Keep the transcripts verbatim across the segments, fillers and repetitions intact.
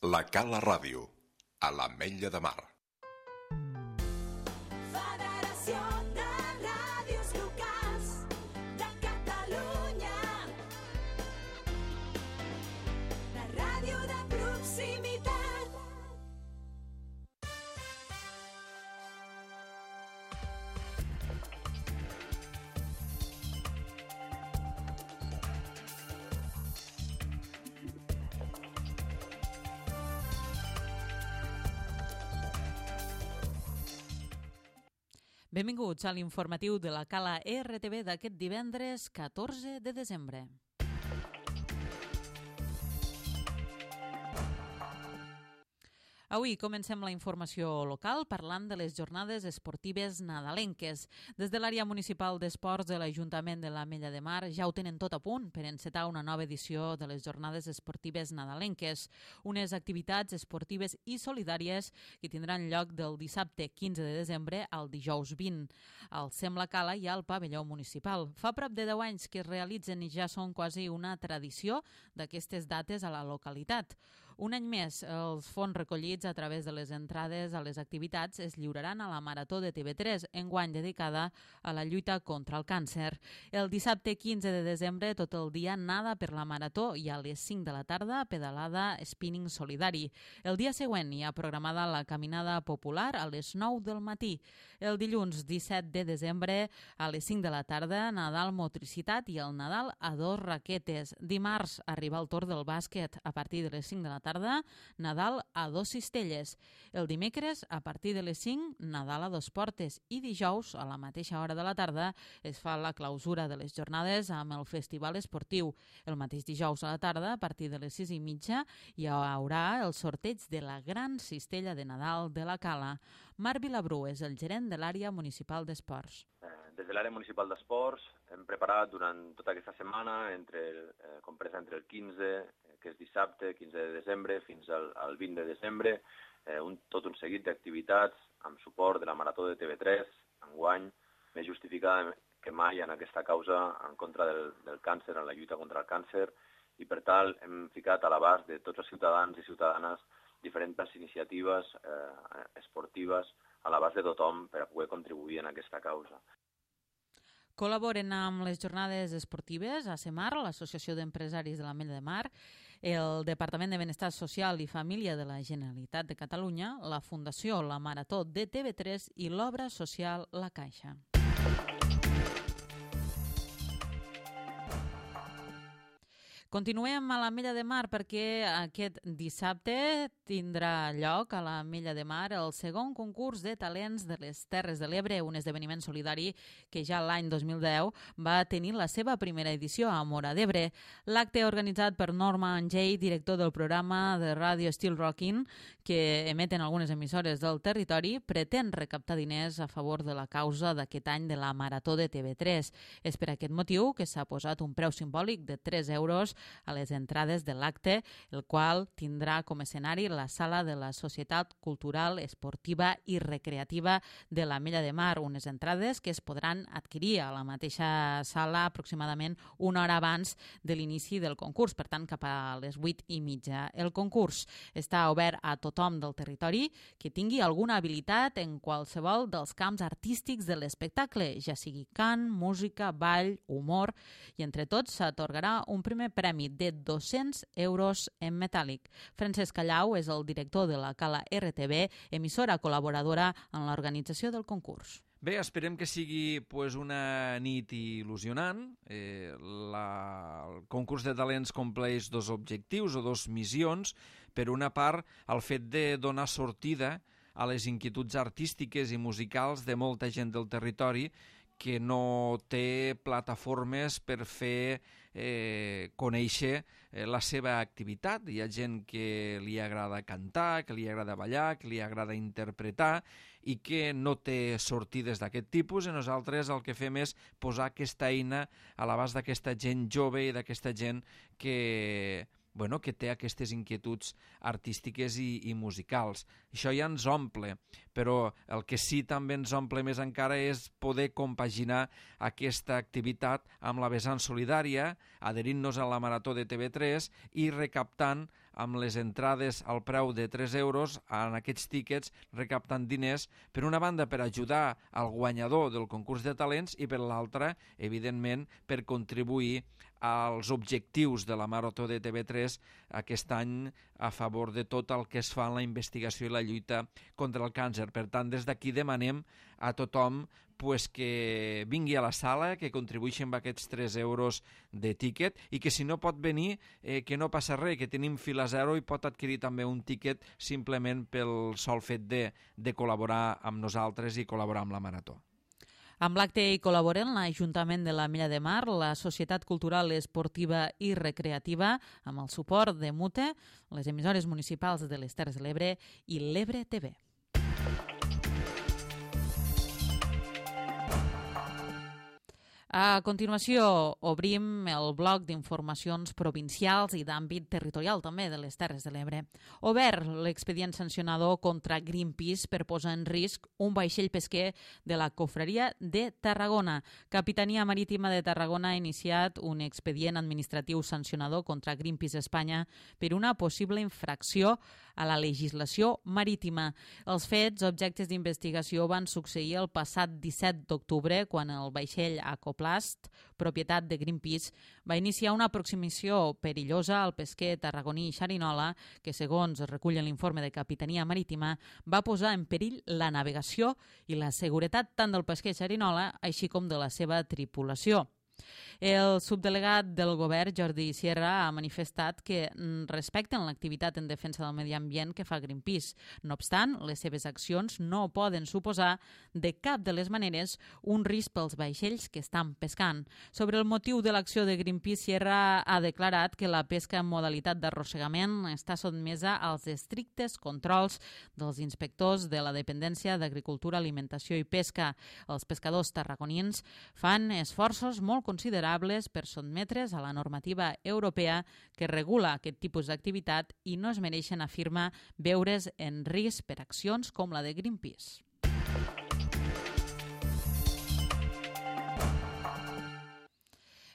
La Cala Ràdio, a l'Ametlla de Mar. Federació de Ràdios Locals de Catalunya. La ràdio de proximitat. Benvinguts a l'informatiu de la Cala R T V d'aquest divendres catorze de desembre. Avui comencem la informació local parlant de les jornades esportives nadalenques. Des de l'àrea municipal d'esports de l'Ajuntament de l'Ametlla de Mar ja ho tenen tot a punt per encetar una nova edició de les jornades esportives nadalenques, unes activitats esportives i solidàries que tindran lloc del dissabte quinze de desembre al dijous vint. Al Sem la Cala i al pavelló municipal. Fa prop de deu anys que es realitzen i ja són quasi una tradició d'aquestes dates a la localitat. Un any més, els fons recollits a través de les entrades a les activitats es lliuraran a la Marató de T V tres, enguany dedicada a la lluita contra el càncer. El dissabte quinze de desembre, tot el dia nada per la Marató i a les cinc de la tarda pedalada spinning solidari. El dia següent hi ha programada la caminada popular a les nou del matí. El dilluns disset de desembre a les cinc de la tarda, Nadal motricitat i el Nadal a dos raquetes. Dimarts arriba el torn del bàsquet a partir de les cinc de la tarda, Nadal a dos cistelles. El dimecres, a partir de les cinc, Nadal a dos portes i dijous, a la mateixa hora de la tarda, es fa la clausura de les jornades amb el festival esportiu. El mateix dijous a la tarda, a partir de les sis i mitja, hi haurà el sorteig de la gran cistella de Nadal de la Cala. Marc Vilabrú és el gerent de l'àrea municipal d'esports. Des de l'àrea municipal d'esports hem preparat durant tota aquesta setmana, entre, eh, compresa entre el quinze, que és dissabte, quinze de desembre, fins al, al vint de desembre, eh, un, tot un seguit d'activitats amb suport de la Marató de T V tres, enguany, més justificada que mai en aquesta causa en contra del, del càncer, en la lluita contra el càncer, i per tal hem ficat a l'abast de tots els ciutadans i ciutadanes diferents iniciatives eh, esportives a l'abast de tothom per a poder contribuir en aquesta causa. Col·laboren amb les jornades esportives a CEMAR, l'Associació d'Empresaris de l'Ametlla de Mar, el Departament de Benestar Social i Família de la Generalitat de Catalunya, la Fundació La Marató de T V tres i l'Obra Social La Caixa. Continuem a l'Ametlla de Mar perquè aquest dissabte tindrà lloc a l'Ametlla de Mar el segon concurs de talents de les Terres de l'Ebre, un esdeveniment solidari que ja l'any dos mil deu va tenir la seva primera edició a Móra d'Ebre. L'acte organitzat per Norma Angell, director del programa de ràdio Still Rockin', que emeten algunes emissores del territori, pretén recaptar diners a favor de la causa d'aquest any de la Marató de T V tres. És per aquest motiu que s'ha posat un preu simbòlic de tres euros a les entrades de l'acte, el qual tindrà com a escenari la sala de la Societat Cultural, Esportiva i Recreativa de l'Ametlla de Mar, unes entrades que es podran adquirir a la mateixa sala aproximadament una hora abans de l'inici del concurs, per tant cap a les vuit i mitja. El concurs està obert a tothom del territori que tingui alguna habilitat en qualsevol dels camps artístics de l'espectacle, ja sigui cant, música, ball, humor, i entre tots s'atorgarà un primer premi de dos-cents euros en metàl·lic. Francesc Callau és el director de la Cala R T V, emissora col·laboradora en l'organització del concurs. Bé, esperem que sigui pues, una nit il·lusionant. Eh, la, el concurs de talents compleix dos objectius o dos missions. Per una part, el fet de donar sortida a les inquietuds artístiques i musicals de molta gent del territori que no té plataformes per fer eh, conèixer eh, la seva activitat. Hi ha gent que li agrada cantar, que li agrada ballar, que li agrada interpretar i que no té sortides d'aquest tipus, i nosaltres el que fem és posar aquesta eina a l'abast d'aquesta gent jove i d'aquesta gent que bueno, que té aquestes inquietuds artístiques i, i musicals. Això ja ens omple, però el que sí també ens omple més encara és poder compaginar aquesta activitat amb la vessant solidària, adherint-nos a la Marató de T V tres i recaptant amb les entrades al preu de tres euros en aquests tíquets, recaptant diners, per una banda per ajudar al guanyador del concurs de talents i per l'altra, evidentment, per contribuir als objectius de la Marató de T V tres aquest any a favor de tot el que es fa en la investigació i la lluita contra el càncer. Per tant, des d'aquí demanem a tothom pues, que vingui a la sala, que contribueixi amb aquests tres euros de tíquet i que si no pot venir, eh, que no passa res, que tenim fila zero i pot adquirir també un tíquet simplement pel sol fet de, de col·laborar amb nosaltres i col·laborar amb la Marató. Amb l'acte hi col·laboren l'Ajuntament de l'Ametlla de Mar, la Societat Cultural Esportiva i Recreativa, amb el suport de Mute, les emissores municipals de les Terres de l'Ebre i l'Ebre T V. A continuació, obrim el bloc d'informacions provincials i d'àmbit territorial també de les Terres de l'Ebre. Obert l'expedient sancionador contra Greenpeace per posar en risc un vaixell pesquer de la Cofreria de Tarragona. Capitania Marítima de Tarragona ha iniciat un expedient administratiu sancionador contra Greenpeace Espanya per una possible infracció a la legislació marítima. Els fets, objectes d'investigació, van succeir el passat disset d'octubre, quan el vaixell Acoplast, propietat de Greenpeace, va iniciar una aproximació perillosa al pesquer tarragoní Xerinola, que, segons es recull en l'informe de Capitania Marítima, va posar en perill la navegació i la seguretat tant del pesquer Xerinola així com de la seva tripulació. El subdelegat del govern, Jordi Sierra, ha manifestat que respecten l'activitat en defensa del medi ambient que fa Greenpeace. No obstant, les seves accions no poden suposar de cap de les maneres un risc pels vaixells que estan pescant. Sobre el motiu de l'acció de Greenpeace, Sierra ha declarat que la pesca en modalitat d'arrossegament està sotmesa als estrictes controls dels inspectors de la Dependència d'Agricultura, Alimentació i Pesca. Els pescadors tarragonins fan esforços molt considerables per sotmetre's a la normativa europea que regula aquest tipus d'activitat i no es mereixen, afirma, veure's en risc per accions com la de Greenpeace.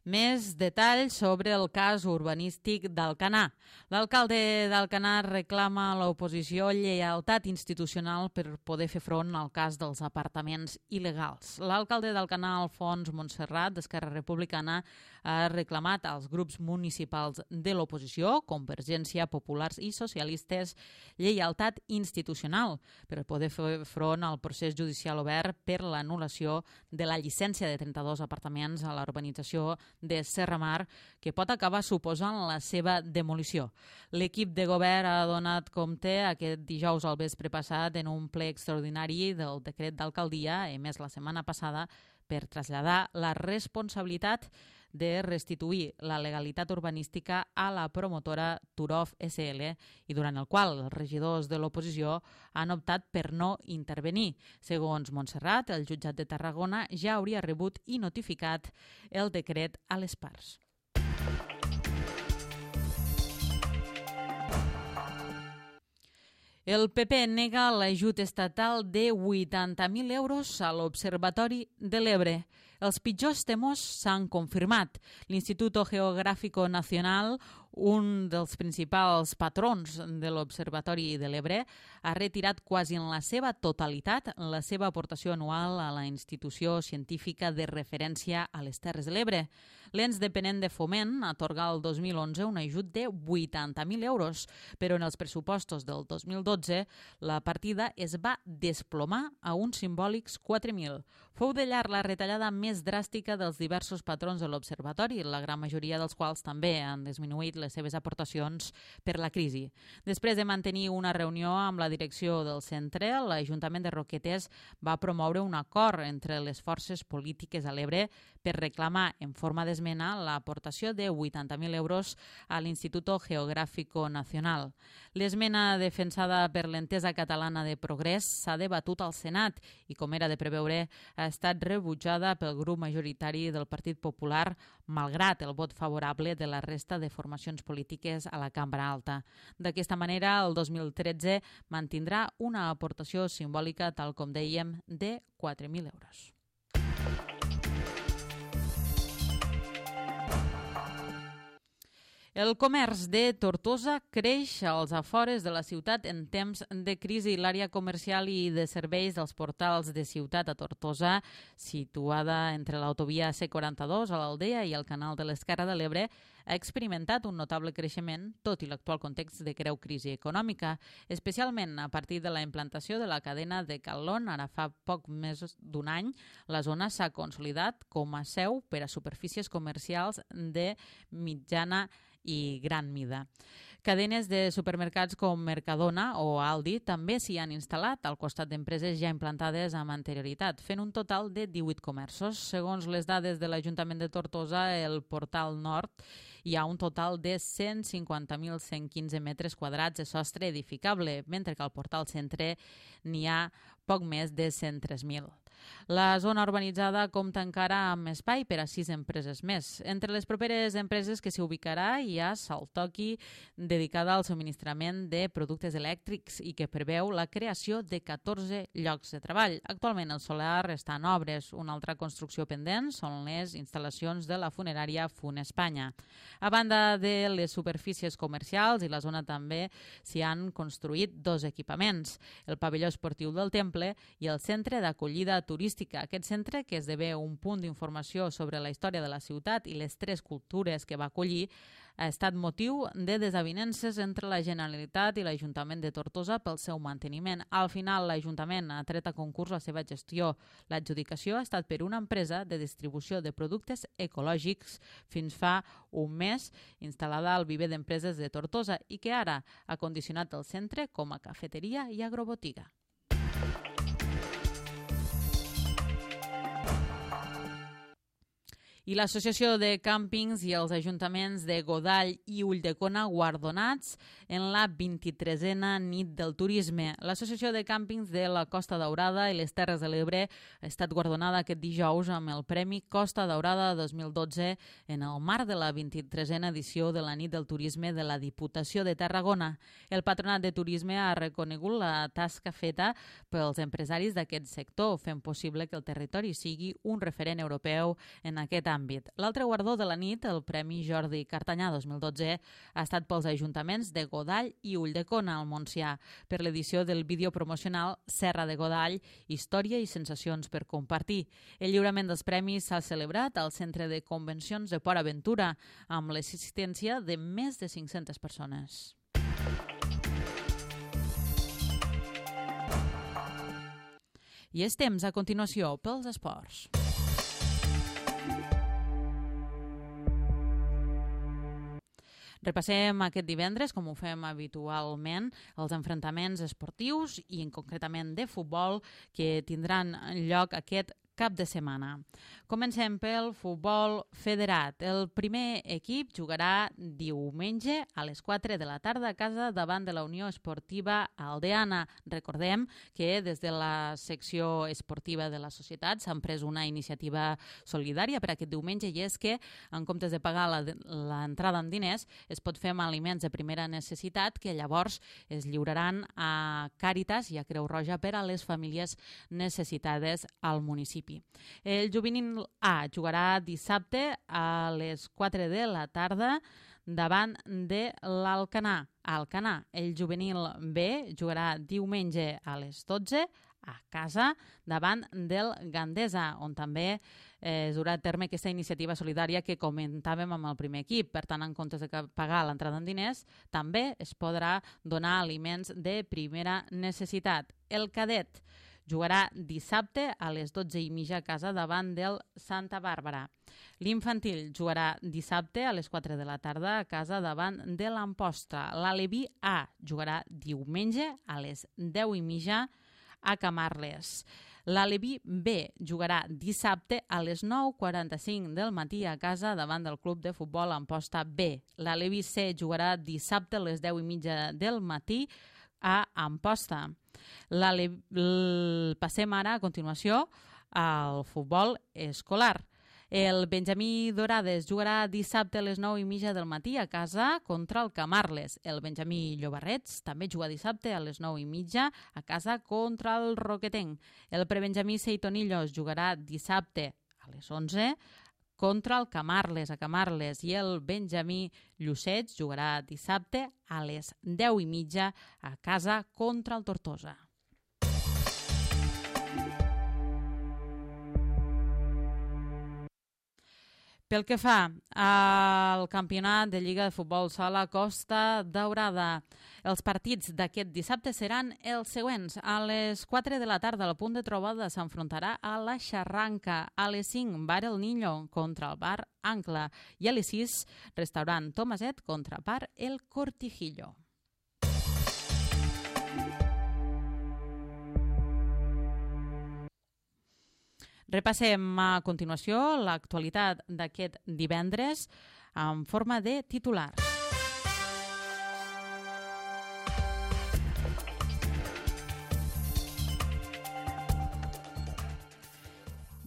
Més detalls sobre el cas urbanístic d'Alcanar. L'alcalde d'Alcanar reclama a l'oposició lleialtat institucional per poder fer front al cas dels apartaments il·legals. L'alcalde d'Alcanar, Alfons Montserrat, d'Esquerra Republicana, ha reclamat als grups municipals de l'oposició, Convergència, Populars i Socialistes, lleialtat institucional per poder fer front al procés judicial obert per l'anul·lació de la llicència de trenta-dos apartaments a la urbanització de Serramar, que pot acabar suposant la seva demolició. L'equip de govern ha donat compte aquest dijous al vespre passat en un ple extraordinari del decret d'alcaldia emès la setmana passada per traslladar la responsabilitat de restituir la legalitat urbanística a la promotora Turov S L i durant el qual els regidors de l'oposició han optat per no intervenir. Segons Montserrat, el jutjat de Tarragona ja hauria rebut i notificat el decret a les parts. El P P nega l'ajut estatal de vuitanta mil euros a l'Observatori de l'Ebre. Els pitjors temors s'han confirmat. L'Instituto Geográfico Nacional, un dels principals patrons de l'Observatori de l'Ebre, ha retirat quasi en la seva totalitat la seva aportació anual a la institució científica de referència a les Terres de l'Ebre. L'ens dependent de Foment atorga el dos mil onze un ajut de vuitanta mil euros, però en els pressupostos del dos mil dotze la partida es va desplomar a uns simbòlics quatre mil. Fou de llarg la retallada més dràstica dels diversos patrons de l'Observatori, la gran majoria dels quals també han disminuït les seves aportacions per la crisi. Després de mantenir una reunió amb la direcció del centre, l'Ajuntament de Roquetes va promoure un acord entre les forces polítiques a l'Ebre per reclamar en forma d'esmena l'aportació de vuitanta mil euros a l'Instituto Geográfico Nacional. L'esmena defensada per l'Entesa Catalana de Progrés s'ha debatut al Senat i, com era de preveure, ha estat rebutjada pel grup majoritari del Partit Popular, malgrat el vot favorable de la resta de formacions polítiques a la Cambra Alta. D'aquesta manera, el dos mil tretze mantindrà una aportació simbòlica, tal com dèiem, de quatre mil euros. El comerç de Tortosa creix als afores de la ciutat en temps de crisi. L'àrea comercial i de serveis dels portals de ciutat a Tortosa, situada entre l'autovia C quaranta-dos a l'Aldea i el canal de l'Esquerra de l'Ebre, ha experimentat un notable creixement, tot i l'actual context de greu crisi econòmica, especialment a partir de la implantació de la cadena de Calón. Ara fa poc més d'un any, la zona s'ha consolidat com a seu per a superfícies comercials de mitjana i gran mida. Cadenes de supermercats com Mercadona o Aldi també s'hi han instal·lat al costat d'empreses ja implantades amb anterioritat, fent un total de divuit comerços. Segons les dades de l'Ajuntament de Tortosa, el Portal Nord hi ha un total de cent cinquanta mil cent quinze metres quadrats de sostre edificable, mentre que al Portal Centre n'hi ha poc més de cent tres mil. La zona urbanitzada compta encara amb espai per a sis empreses més. Entre les properes empreses que s'hi ubicarà hi ha Saltoki, dedicada al subministrament de productes elèctrics i que preveu la creació de catorze llocs de treball. Actualment el solar està en obres. Una altra construcció pendent són les instal·lacions de la funerària Fun Espanya. A banda de les superfícies comercials i la zona també s'hi han construït dos equipaments, el pavelló esportiu del Temple i el centre d'acollida turística. Aquest centre, que esdevé un punt d'informació sobre la història de la ciutat i les tres cultures que va acollir, ha estat motiu de desavinences entre la Generalitat i l'Ajuntament de Tortosa pel seu manteniment. Al final, l'Ajuntament ha tret a concurs la seva gestió. L'adjudicació ha estat per una empresa de distribució de productes ecològics fins fa un mes, instal·lada al viver d'empreses de Tortosa i que ara ha condicionat el centre com a cafeteria i agrobotiga. I l'Associació de Càmpings i els ajuntaments de Godall i Ulldecona guardonats en la vint-i-tresena nit del turisme. L'Associació de Càmpings de la Costa Daurada i les Terres de l'Ebre ha estat guardonada aquest dijous amb el Premi Costa Daurada dos mil dotze en el marc de la vint-i-tresena edició de la nit del turisme de la Diputació de Tarragona. El Patronat de Turisme ha reconegut la tasca feta pels empresaris d'aquest sector, fent possible que el territori sigui un referent europeu en aquest àmbit. L'altre guardó de la nit, el Premi Jordi Cartanyà dos mil dotze, ha estat pels ajuntaments de Godall i Ulldecona al Montsià per l'edició del vídeo promocional Serra de Godall, història i sensacions per compartir. El lliurament dels premis s'ha celebrat al Centre de Convencions de Port Aventura amb l'assistència de més de cinc-centes persones. I és temps, a continuació, pels esports. Repassem aquest divendres, com ho fem habitualment, els enfrontaments esportius i en concretament de futbol que tindran lloc aquest cap de setmana. Comencem pel futbol federat. El primer equip jugarà diumenge a les quatre de la tarda a casa davant de la Unió Esportiva Aldeana. Recordem que des de la secció esportiva de la societat s'han pres una iniciativa solidària per aquest diumenge i és que en comptes de pagar l'entrada en diners es pot fer amb aliments de primera necessitat que llavors es lliuraran a Càritas i a Creu Roja per a les famílies necessitades al municipi. El juvenil A jugarà dissabte a les quatre de la tarda davant de l'Alcanar. Alcanar. El juvenil B jugarà diumenge a les dotze a casa davant del Gandesa, on també eh, es durà a terme aquesta iniciativa solidària que comentàvem amb el primer equip. Per tant, en comptes de pagar l'entrada en diners, també es podrà donar aliments de primera necessitat. El cadet jugarà dissabte a les dotze i mitja a casa davant del Santa Bàrbara. L'infantil jugarà dissabte a les quatre de la tarda a casa davant de l'Amposta. L'Aleví A jugarà diumenge a les deu i mitja a Camarles. L'Aleví B jugarà dissabte a les nou quaranta-cinc del matí a casa davant del Club de Futbol Amposta B. L'Aleví C jugarà dissabte a les deu i mitja del matí a Amposta. Passem ara, a continuació, al futbol escolar. El Benjamí Dorades jugarà dissabte a les nou i mitja del matí a casa contra el Camarles. El Benjamí Llobarrets també juga dissabte a les nou i mitja a casa contra el Roquetenc. El Prebenjamí Seitonillos jugarà dissabte a les onze contra el Camarles, a Camarles, i el Benjamí Llucet jugarà dissabte a les deu i mitja a casa contra el Tortosa. Pel que fa al campionat de Lliga de Futbol Sala Costa Daurada, els partits d'aquest dissabte seran els següents. A les quatre de la tarda, el punt de trobada s'enfrontarà a la Xarranca. A les cinc, Bar El Niño contra el Bar Ancla. I a les sis, restaurant Tomaset contra Bar El Cortijillo. Repassem a continuació l'actualitat d'aquest divendres en forma de titular.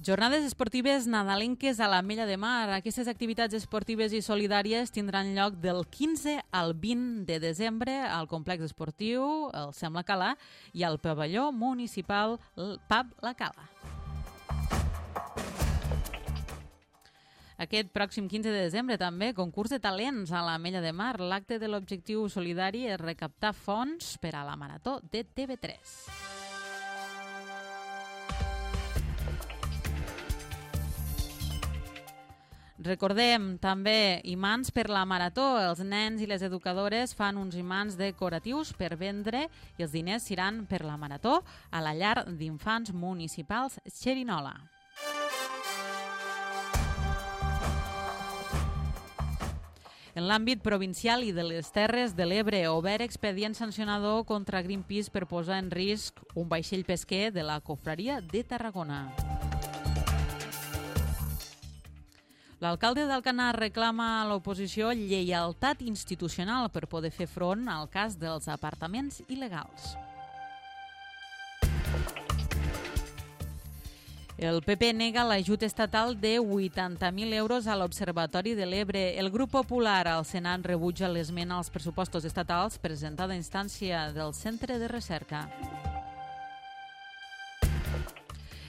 Jornades esportives nadalenques a l'Ametlla de Mar. Aquestes activitats esportives i solidàries tindran lloc del quinze al vint de desembre al complex esportiu el Sembla Cala i al pavelló municipal Pub La Cala. Aquest pròxim quinze de desembre també concurs de talents a l'Ametlla de Mar. L'acte de l'objectiu solidari és recaptar fons per a la Marató de T V tres. Recordem també imants per la Marató. Els nens i les educadores fan uns imants decoratius per vendre i els diners seran per la Marató a la llar d'infants municipals Xerinola. En l'àmbit provincial i de les Terres de l'Ebre, obert expedient sancionador contra Greenpeace per posar en risc un vaixell pesquer de la Confraria de Tarragona. L'alcalde d'Alcanar reclama a l'oposició lleialtat institucional per poder fer front al cas dels apartaments il·legals. El P P nega l'ajut estatal de vuitanta mil euros a l'Observatori de l'Ebre. El grup popular al Senat rebutja l'esmena als pressupostos estatals presentada a instància del Centre de Recerca.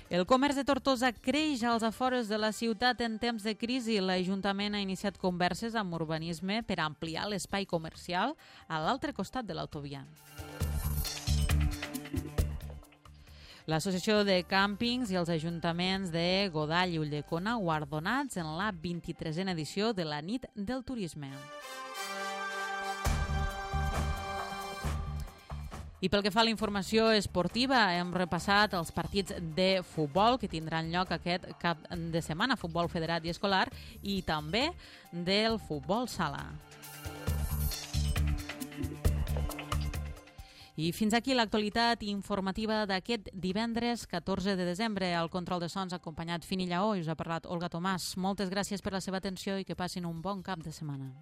El comerç de Tortosa creix als afores de la ciutat en temps de crisi. L'Ajuntament ha iniciat converses amb urbanisme per ampliar l'espai comercial a l'altre costat de l'autovia. L'Associació de Càmpings i els ajuntaments de Godall i Ulldecona guardonats en la vint-i-tresena edició de la Nit del Turisme. I pel que fa a la informació esportiva, hem repassat els partits de futbol que tindran lloc aquest cap de setmana, futbol federat i escolar, i també del futbol sala. I fins aquí l'actualitat informativa d'aquest divendres catorze de desembre. Al control de sons acompanyat Fini Lleó i us ha parlat Olga Tomàs. Moltes gràcies per la seva atenció i que passin un bon cap de setmana.